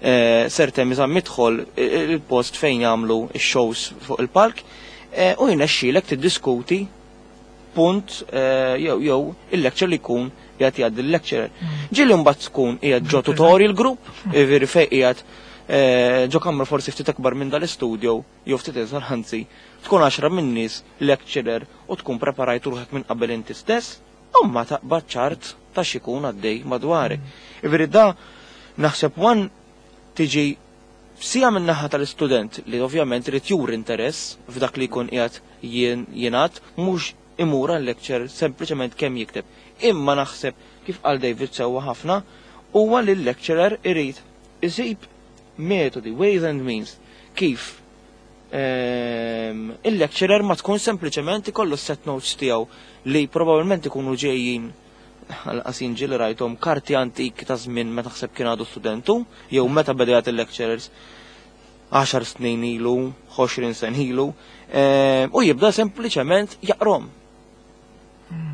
eh, Sir Temi Zammit Hall, il-post fejn jagħmlu x-shows fuq il-palk, eh, u jirnexxilek tiddiskuti punt eh, jew jew il-lecture li jkun qiegħed jgħaddi il-lecturer. Ġieli mbagħad tkun qiegħed ġo tutorial group, ġifieri fejn qiegħed eh, ġo kamra forsi ftit akbar minn dal-istudio, jew ftit iżgħar anzi, tkun għaxra minn nies, lecturer, u tkun preparajt ruħek minn qabel inti stess, u ma taqbad ċart ta' xikun għaddej madwarek. Ġifieri da naħseb one tiġi sija minn naħa tal-istudent li ovvjament irid juri interess f'dak li jkun qiegħed jingħad, mhux imur għal-lecture sempliċement kemm jikteb. Imma naħseb kif qal David sewwa ħafna huwa li l-lecturer irid isib metodi, ways and means kif ehm, il-lecturer ma tkun sempliċement ikollu set notes tiegħu li probabbilment ikunu ġejjin għal-qasin ġieli rajthom karti antik ta' żmien meta taħseb kien għadu studentu, jew meta beda jagħti il-lecturers għaxar snin ilu, għoxrin sen ilu, ehm, u jibda sempliċement jaqrom.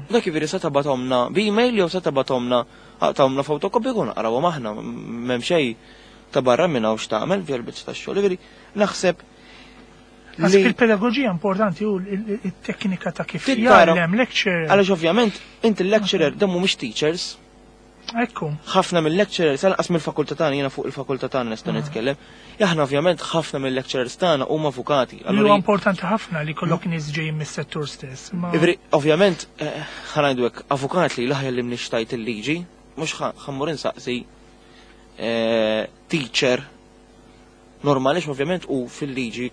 Dak ġifieri se tibgħathomlna b'email jew se tibgħathomlna aqtgħahomlna fotokopi kun naqrawhom aħna, m'hemm xejn ta' barra minn hawn x'tagħmel fil-biċċa tax-xogħol. Ġifieri naħseb Naħseb il-pedagogija importanti u il-teknika ta' kif Trid tara- jgħallem lecture. Għaliex ovvjament inti l-lecturer dan mhumiex teachers, Ekku. ħafna mill-lecturers, għalqas mill-fakultà tagħna, jiena fuq il-fakultà tagħna nista' nitkellem. Aħna ovvjament ħafna mill-lecturers tagħna huma avukati. Li Allura huwa importanti ħafna li kollok nies ġejjin mis-settur stess. Ma- Ġifieri, ovvjament, eh, ħa ngħidu hekk, avukat li laħja li mnixtajt il-liġi, mhux ħa mmur insaqsi eh, teacher normali, ovvjament u fil-liġi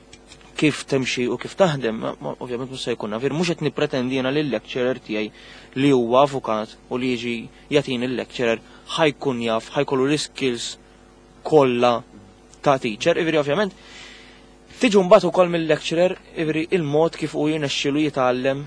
kif temxi u kif taħdem, ma- ma- ovvjament mhux se jkun naf. Mhux qed nippretendi jiena lil lecturer tiegħi li huwa avukat u li jiġi jagħtini il-lecturer ħa jkun jaf, ħa jkollu l-skills kollha ta' teacher. Ġifieri ovvjament tiġu mbagħad ukoll mill-lecturer, ġifieri il-mod kif hu jirnexxielu jitgħallem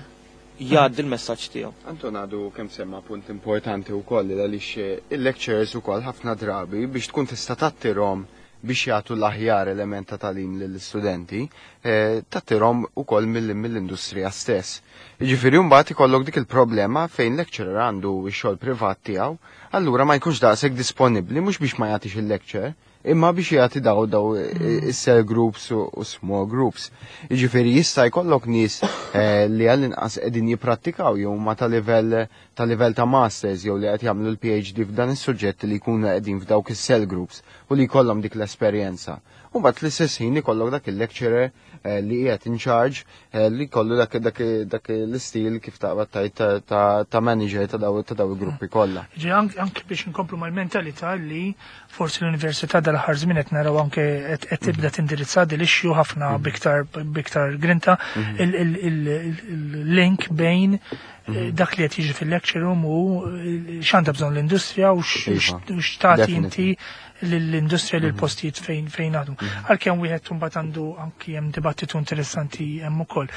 jgħaddi l-messaġġ tiegħu. Anton għadu kemm semma punt importanti u koll għaliex il-lecturers u koll ħafna drabi biex tkun tista' tattirhom biex jagħtu l-aħjar element ta' tagħlim lill-istudenti, eh, tattirhom ukoll mill- mill-industrija stess. Jiġifieri mbagħad ikollok dik il-problema fejn lecturer għandu x-xogħol privat tiegħu, allura ma jkunx daqshekk disponibbli mhux biex ma jagħtix il-lecture, Imma biex jagħti daw daw is-cell groups u u small groups. Jiġifieri jista' jkollok nies eh, li għall-inqas qegħdin jipprattikaw jew ma ta' livell ta' livell ta' masters jew li qed jagħmlu l-P H D f'dan is-suġġett li jkunu qegħdin f'dawk is-cell groups u li jkollhom dik l-esperjenza. U mbagħad fl-istess ħin ikollok dak il-lecturer eh, li qiegħed in charge eh, li kollu dak dak dak l-istil kif taqbad tajt ta' ta' ta' manager ta' daw ta' daw il-gruppi kollha. Ġi anke anke biex inkomplu mal-mentalità li forsi l-università dal-aħħar żmien qed naraw anke qed qed tibda tindirizza din l-issue ħafna biktar biktar grinta, il-link bejn eh, dak li qed jiġi fil-lecture room u eh, x'għandha bżonn l-industrija u x- Iva, u x'tagħti inti definitely. l-industrija lil postijiet fejn fejn għadu. Għalkemm wieħed imbagħad għandu anki hemm dibattitu interessanti hemm ukoll.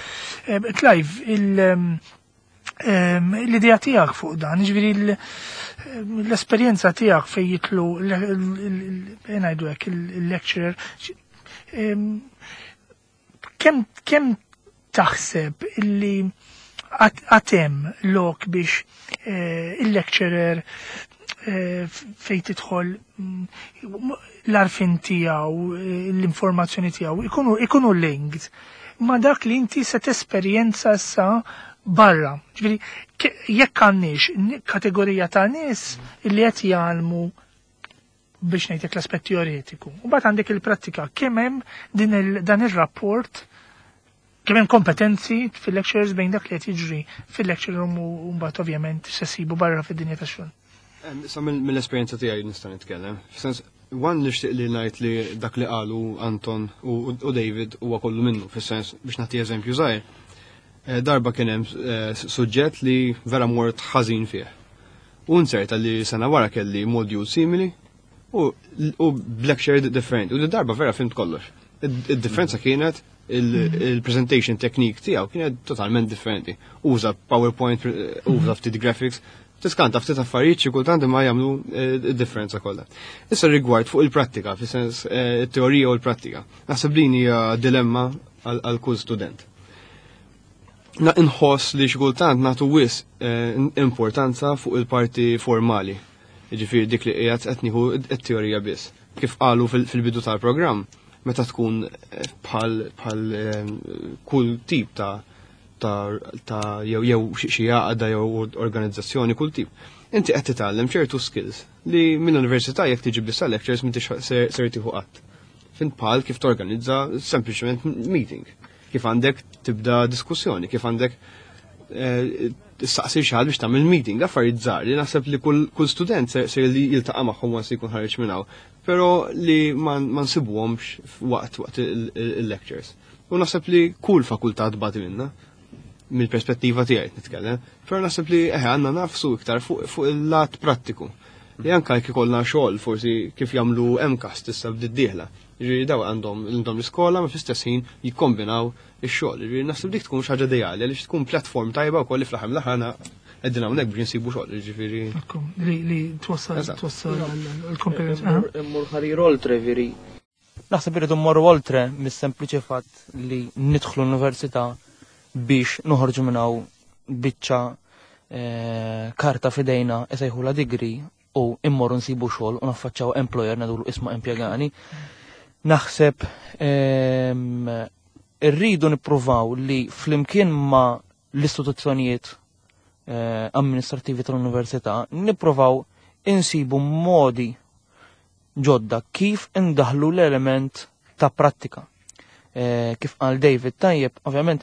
Eh, Clive, il- ehm, ehm, l-idea tiegħek fuq dan, ġifieri l- l-esperjenza tiegħek fejn jitlu ngħidu hekk il-lecturer, ehm, kemm kemm taħseb illi għad hemm lok biex eh, il-lecturer eh, fej tidħol mm, l-għarfien tiegħu, eh, l-informazzjoni tiegħu ikunu ikunu linked ma dak li inti se tesperjenza sa barra? Ġifieri, ke- jekk għandniex n- kategorija ta' nies li qed jgħallmu biex ngħidlek l-aspett teoretiku. U mbagħad għandek il-prattika, kemm hemm din il, dan ir-rapport, kemm hemm kompetenzi fil-lectures bejn dak li qed jiġri fil-lecture room u mbagħad ovvjament se sibu barra fid-dinja tax-xogħol? Em, Sa mill- mill-esperjenza tiegħi nista' nitkellem. F'sens, one, nixtieq li ngħid li dak li qalu Anton u, u David huwa kollu minnu, fis-sens biex nagħti eżempju żgħir. Eh, Darba kien hemm eh, suġġett li vera mort ħażin fih. U nserta li sena wara kelli module simili u, u b'lecture differenti. U di darba vera fhimt kollox. Id- Id-differenza kienet il-presentation technique tiegħu kienet totalment differenti. Uża PowerPoint, eh, uża ftit graphics, tiskanta ftit affarijiet xi kultant ma jagħmlu eh, id-differenza kollha. Issa rigward fuq il-prattika, fis-sens eh, it-teorija u l-prattika. Naħseb din hija dilemma għal għal kull student. Na inħoss li xi kultant nagħtu wisq eh, importanza fuq il-parti formali. Jiġifieri dik li qiegħed qed nieħu t-teorija biss. Kif qalu fil- fil-bidu tal-programm, meta tkun eh, bħal bħal eh, kull tip ta' ta' ta' jew jew xi xi għaqda jew organizzazzjoni, kull tip. Inti qed titgħallem ċertu skills li mill-università jekk tiġi biss lectures m'intix ser ser tieħu qatt. Fint bħal kif torganizza sempliċement meeting, kif għandek tibda diskussjoni, kif għandek eh, tistaqsi xi ħadd biex tagħmel meeting, affarijiet żgħar li naħseb li kull kull student ser, ser li jiltaqa' magħhom once jkun ħareġ minn hawn, però li ma ma nsibuhomx waqt waqt il-lectures. U naħseb li kull fakultà tbati minna mill-perspettiva tiegħi nitkellem, però naħseb li eħe għandna nagħfsu iktar fuq fuq il-lat prattiku. Li anka jekk ikollna xogħol forsi kif jagħmlu MCAST issa bdiet dieħla. Ġifieri daw għandhom għandhom l-iskola ma fl-istess ħin jikkombinaw ix-xogħol. Ġifieri naħseb dik tkun xi ħaġa ideali għaliex tkun platform tajba wkoll li fl-aħħar mill-aħħar qegħdin hawnhekk biex insibu xogħol, ġifieri. Ekku, Li li twassal Eżatt. twassal l-kompetenza. Immur ħarir oltre veri. Naħseb irridu mmorru oltre mis-sempliċi fatt li nidħlu l-università biex noħorġu minn hawn biċċa eh, karta f'idejna isejħula degree u immorru nsibu xogħol u naffaċċaw employer ngħidulu, "Isma', impjegani." Naħseb ehm, irridu nippruvaw li flimkien ma l-istituzzjonijiet eh, amministrativi tal-università nippruvaw insibu modi ġodda kif indaħlu l-element ta' prattika. Eh, kif qal David tajjeb, ovvjament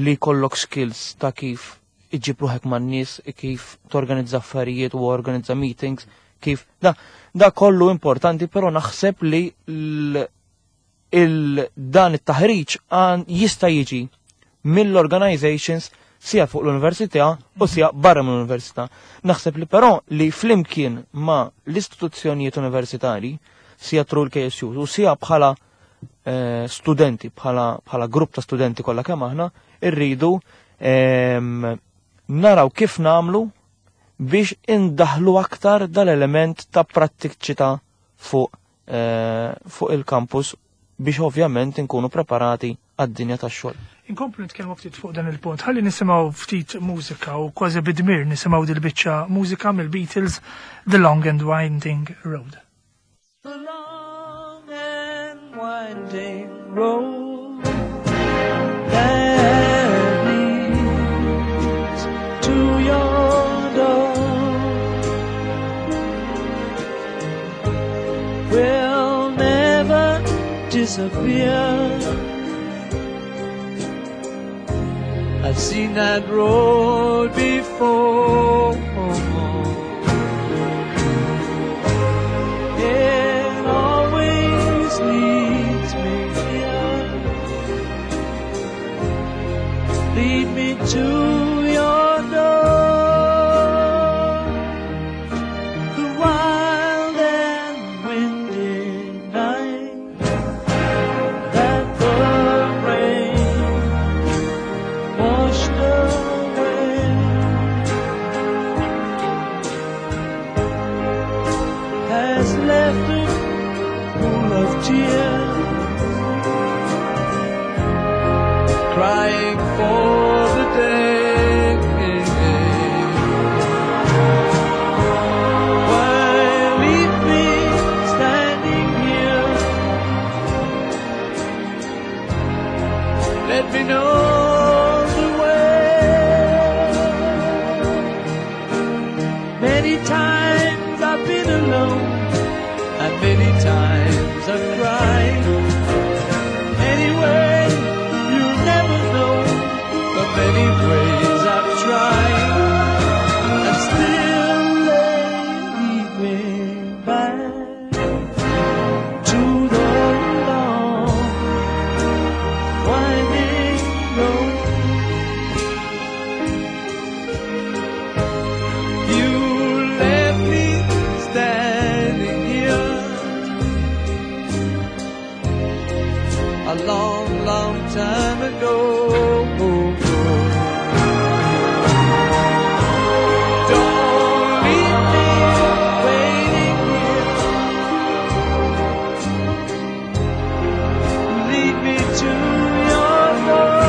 li kollok skills ta' kif iġib ruħek man nies, kif torganizza affarijiet u organizza meetings, kif da, da kollu importanti, però naħseb li l, il, dan it-taħriġ għan jista' jiġi mill-organizations sija fuq l-università u sija barra mill-università. Naħseb li però li flimkien ma l-istituzzjonijiet universitari, sija through l-K S U u sija bħala eh, studenti, bħala, bħala grupp ta' studenti kollha kemm aħna, irridu em, naraw kif namlu biex indaħlu aktar dal-element ta' prattiċità fuq eh, fuq il-campus biex ovvjament inkunu preparati għad-dinja tax-xogħol. Inkomplu nitkellmu ftit fuq dan il-punt. Ħalli nisimgħu ftit mużika u kważi bidmir nisimgħu dil-biċċa mużika mill-Beatles, The Long and Winding Road. The long Winding road that leads to your door will never disappear. I've seen that road before. It always leads me here. Lead me to your door. The wild and windy night that the rain washed away has left a pool of tears, crying for the day. Why leave me standing here? Let me know the way. Many times I've been alone, and many times I've cried. Anyway, you'll never know the many ways I've tried, and still they lead me back to the long winding road. You left me standing here a long, long time ago. Don't leave me waiting here. Lead me to your door.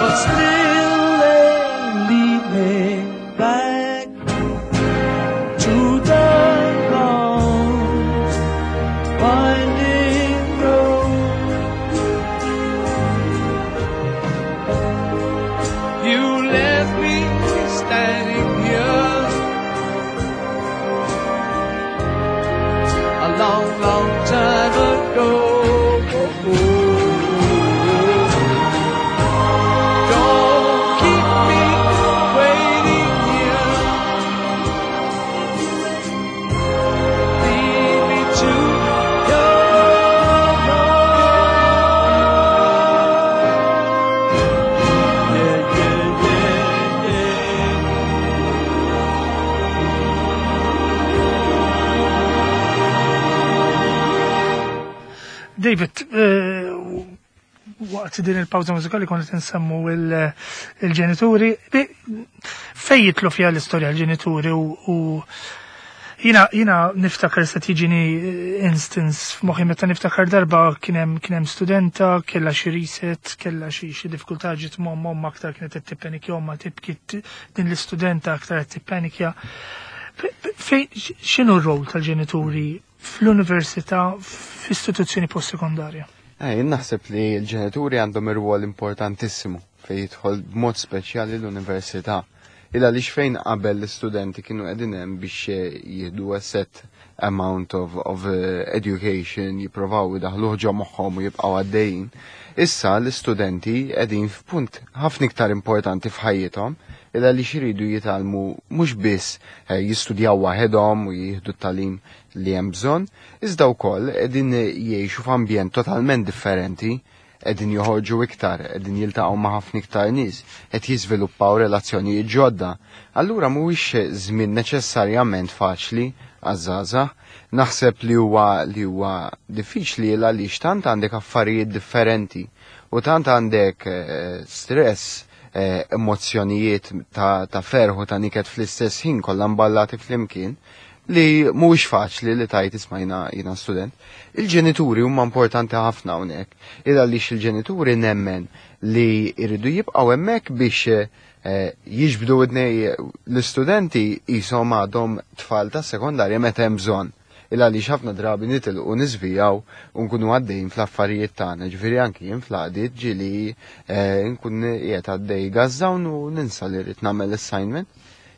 But still they lead me back to the long winding road. You left me standing here a long, long time ago. Don't keep me waiting here. Lead me to your door. Yeah, yeah, yeah, yeah. David, eh, waqt din il-pawza mużikali konna nsemmu il- il-ġenituri. Bi- Fej jitlu fija l-istorja l-ġenituri u u jina, jina niftakar se tiġini instance f'moħħi meta niftakar darba kien hemm kien hemm studenta kellha xi reset, kellha xi xi diffikultà ġiet mom mom aktar kienet qed tippenikja omma tibki t- din l-istudenta aktar qed tippenikja. Fej x'inhu r-rol tal-ġenituri fl-università f'istituzzjoni postsekondarja? Eh, jien naħseb li l-ġenituri għandhom ir-rwol importantissimu fejn jidħol b'mod speċjali l-università. Illa għaliex fejn qabel l-istudenti kienu qegħdin hemm biex eh, jieħdu a set amount of, of eh, education, jipprovaw idaħluh ġo moħħhom u jibqgħu għaddejjin. Issa l-istudenti qegħdin f'punt ħafna iktar importanti f'ħajjithom illa għaliex iridu jitgħallmu mhux biss eh, jistudjaw waħedhom u jieħdu t-tagħlim li hemm bżonn, iżda wkoll qegħdin jgħixu f'ambjent totalment differenti, qegħdin joħorġu iktar, qegħdin jiltaqgħu ma' ħafna iktar nies, qed jiżviluppaw relazzjonijiet ġodda. Allura mhuwiex żmien neċessarjament faċli għaż-żgħażagħ. Naħseb li huwa li huwa diffiċli għaliex tant għandek affarijiet differenti u tant għandek eh, stress, eh, emozzjonijiet ta', ta' ferħ u ta' niket fl-istess ħin kollha mballati flimkien, li mhuwiex faċli li tajt isma' jiena jiena student. Il-ġenituri huma importanti ħafna hawnhekk. Il għaliex il-ġenituri nemmen li jridu jibqgħu hemmhekk biex eh, jiġbdu widnej l-istudenti qishom għadhom tfal ta' sekondarja meta hemm bżonn. Il għaliex ħafna drabi nitilqu niżvijaw u nkunu għaddejn fl-affarijiet tagħna, ġifieri anki jien fl-għadiet ġieli eh, nkun qiegħed għaddej gażżawn u ninsa li rrid nagħmel assignment.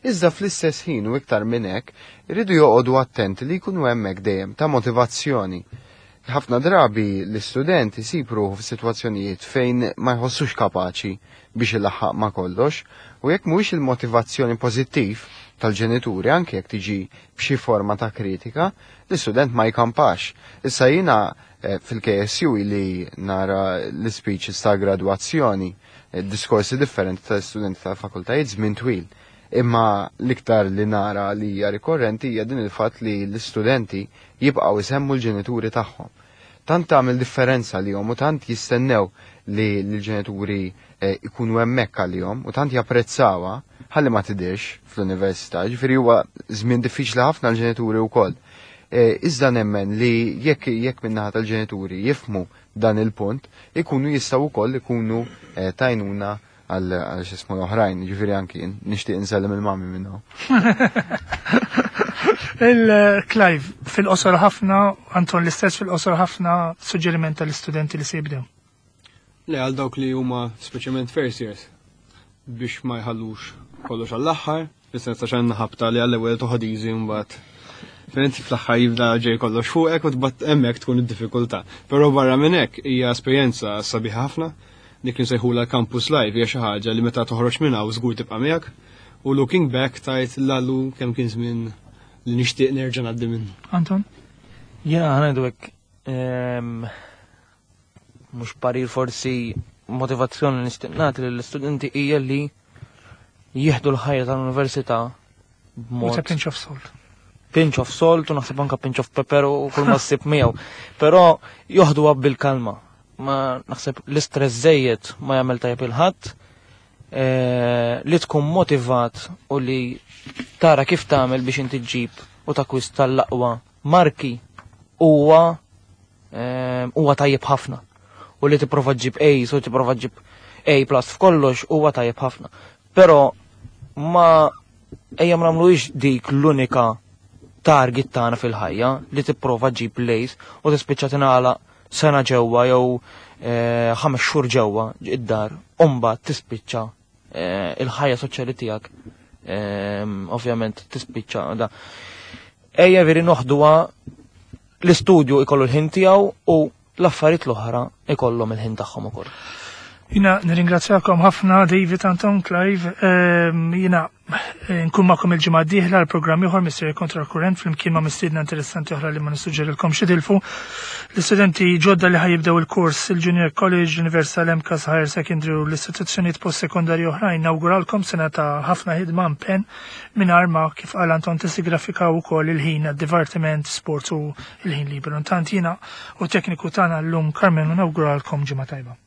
Iżda fl-istess ħin u iktar minn hekk, iridu joqogħdu attenti li jkunu hemmhekk dejjem ta' motivazzjoni. Ħafna drabi l-istudent isib ruħu f'sitwazzjonijiet fejn ma jħossux kapaċi biex ilaħħaq ma' kollox u jekk mhuwiex il-motivazzjoni pożittiv tal-ġenituri anke jekk tiġi b'xi forma ta' kritika, l-istudent ma jkampax. Issa jiena eh, fil-K S U li nara l-speeches ta' gradwazzjoni, eh, diskorsi differenti tal-istudenti tal-fakultajiet żmien twil. Imma l-iktar li nara li hija rikorrenti hija din il-fatt li l-istudenti jibqgħu isemmu l-ġenituri tagħhom. Tant tagħmel differenza lihom u tant jistennew li l-ġenituri eh, ikunu hemmhekk għalihom u tant japprezzawha ħalli ma tidirx fl-università, ġifieri huwa żmien diffiċli ħafna l-ġenituri wkoll. Eh, Iżda nemmen li jekk jekk min-naħa tal-ġenituri jifmu dan il-punt, ikunu jistgħu wkoll ikunu eh, t'għajnuna għal għal x'ismu l-oħrajn, ġifieri anki jien nixtieq insellem il-mami minnu. Il-Clive, fil-qosor ħafna, Anton l-istess fil-qosor ħafna, suġġeriment tal-istudenti li se jibdew. Le, għal dawk li huma speċjalment first years biex ma jħallux kollox għall-aħħar, fis-sens ta' xan ħabta li għall-ewwel toħod easy, mbagħad fint fl-aħħar jibda ġej kollox fuqek u tbat hemmhekk tkun id-diffikultà. Però barra minn hekk hija esperjenza sabiħa ħafna, dik li nsejħula campus life hija xi ħaġa li meta toħroġ minn hawn żgur tibqa' miegħek u looking back tajt lallu kemm kien żmien li nixtieq nerġa' ngħaddi minnu. Anton? Jiena ħa ngħidu hekk, ehm, mhux parir, forsi motivazzjoni li nixtieq nagħti lill-istudenti hija li jieħdu l-ħajja tal-università With b'mod a pinch of salt. Pinch of salt u naħseb anka pinch of pepper u kull ma ssib miegħu. Però joħduha bil-kalma. Ma naħseb l-istress żejjed ma jagħmel tajjeb lil ħadd. Eh, li tkun motivat u li tara kif tagħmel biex inti ġġib u takwista l-aqwa marki huwa eh, huwa tajjeb ħafna. U li tipprova ġġib A u tipprova ġġib A plus f'kollox huwa tajjeb ħafna. Però ma ejja ma nagħmluhiex dik l-unika target tagħna fil-ħajja li tipprova ġġib l-A's u tispiċċa tingħalaq sena ġewwa jew eh, ħames xhur ġewwa id-dar u mbagħad tispiċċa eh, il-ħajja soċjali tiegħek eh, ovvjament tispiċċa da. Ejja veri noħduha, l-istudju ikollu l-ħin tiegħu u l-affarijiet l-oħra ikollhom il-ħin tagħhom ukoll. Jiena nirringrazzjakom ħafna, David, Anton, Clive. Ehm, Jiena eh, nkun magħkom il-ġimgħa d-dieħla l-programm ieħor Misteri Kontra Kurrent flimkien ma' mistiedna interessanti oħra li ma nissuġġerilkom titilfu. L-istudenti ġodda li ħa jibdew il-kors il-Junior College, Universal M C A S Higher Secondary u l-istituzzjonijiet post-sekondarji oħrajn, nawguralkom sena ta' ħafna ħidma, impenn, mingħajr ma, kif qal Anton, tissagrifikaw ukoll il-ħin għad-divertiment, sport u il-ħin liberu. Intant jiena u tekniku tagħna llum Carmen nawguralkom ġimgħa tajba.